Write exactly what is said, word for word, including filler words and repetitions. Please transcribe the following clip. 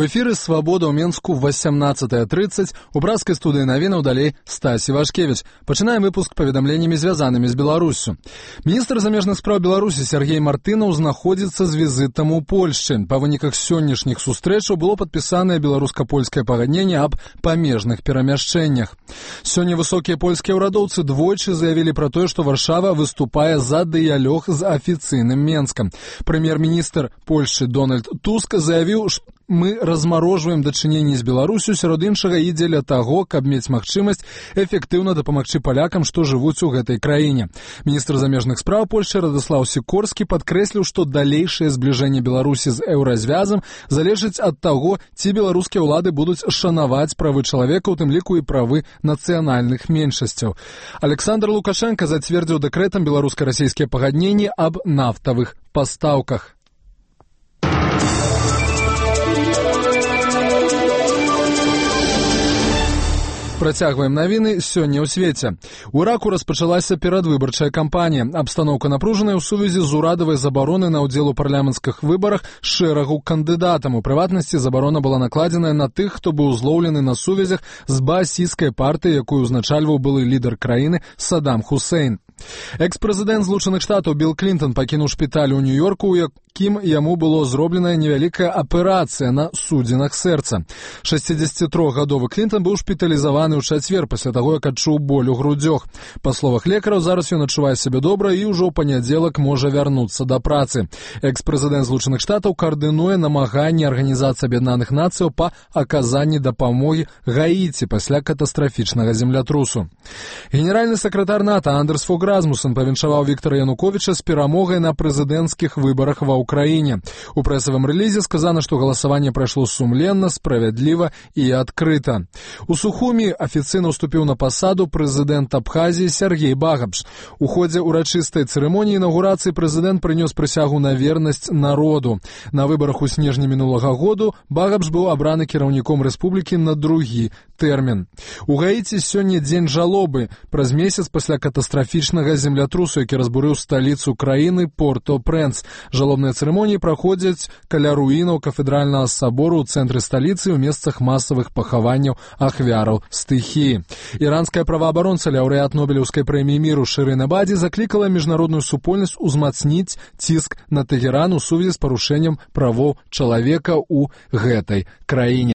У эфіры «Свабода» ў Менску восемнадцатая тридцать. У братскай студыі навінаў далей Стась Івашкевіч. Пачынаем выпуск паведамленнямі, звязанымі з Беларуссю. Міністр замежных спраў Беларусі Сергей Мартынаў знаходзіцца з візітам у Польшчы. Па выніках сённяшніх сустрэчаў было падпісанае беларуска-польскае пагадненне аб памежных перамяшчэннях. Сёння высокія польскія ўрадоўцы двойчы заявілі пра тое, што Варшава выступае за дыялог з афіцыйным Менскам. Прэм'ер-міністр Польшчы Дональд Туск заявіў, што мы размарожваем дачыненні з Беларусю, сярод іншага і дзеля таго, каб мець магчымасць эфектыўна дапамагчы палякам, што жывуць у гэтай краіне. Міністр замежных спраў Польшчы Радыслаў Сікорскі падкрэсліў, што далейшае збліжэнне Беларусі з еўразвязам залежыць ад таго, ці беларускія ўлады будуць шанаваць правы чалавека, у тым ліку і правы нацыянальных меншасцяў. Александр Лукашенко зацвердзіў дэкрэтам беларуска-расійскія пагадненні аб нафтавых пастаўках. Працягваем навіны сёння ў свеце. У Іраку распачалася перадвыбарчая кампанія. Абстаноўка напружаная ў сувязі з урадавай забаронай на ўдзел у парламенцкіх выбарах шэрагу кандыдатам. У прыватнасці, забарона была накладзеная на тых, хто быў злоўлены на сувязях з баасійскай партыяй, якую ўзначальваў былы лідар краіны Саддам Хусейн. Экс-прэзідэнт Злучаных Штатаў Білл Клінтон пакінуў шпіталь у Нью-Йорку, у якім яму было зробленая невялікая аперацыя на судзінах сэрца. шэсцідзесяцітрохгадовы Клінтон быў шпіталізаваны ў чацвер пасля таго, як адчуў боль у грудзях. Па словах лекараў, зараз ён адчувае сябе добра і ўжо ў панядзелак можа вярнуцца да працы. Экс-прэзідэнт Злучаных Штатаў каардынуе намаганні Арганізацыі Аб'яднаных Нацыяў па аказанні дапамогі Гаіці пасля катастрафічнага землятрусу. Генеральны сакратар НАТО Андерс Фог Расмуссен павіншаваў Віктара Януковіча з перамогай на прэзідэнцкіх выбарах ва ўкраіне. У прэсавым рэлізе сказана, што галасаванне прайшло сумленна, справядліва і адкрыта. У Сухумі афіцыйна ўступіў на пасаду прэзідэнт Абхазіі Сергей Багапш. У ходзе ўрачыстай цырымоніі інаўгурацыі прэзідэнт прынёс прысягу на вернасць народу. На выбарах у снежні мінулага году Багапш быў абраны кіраўніком рэспублікі на другі тэрмін. У Гаіці сёння дзень жалобы, праз месяц пасля катастрафічнага землятрусу, які разбурыў сталіцу краіны Порто-Прэнс. Жалобныя цырымоніі праходзяць каля руінаў кафедральнага сабору ў цэнтры сталіцы ў месцах масавых пахаванняў ахвяраў стыхіі. Іранская праваабаронца, лаўрэат Нобелеўскай прэміі міру Шырын Эбаді заклікала міжнародную супольнасць узмацніць ціск на Тэгеран у сувязі з парушэннем правоў чалавека ў гэтай краіне.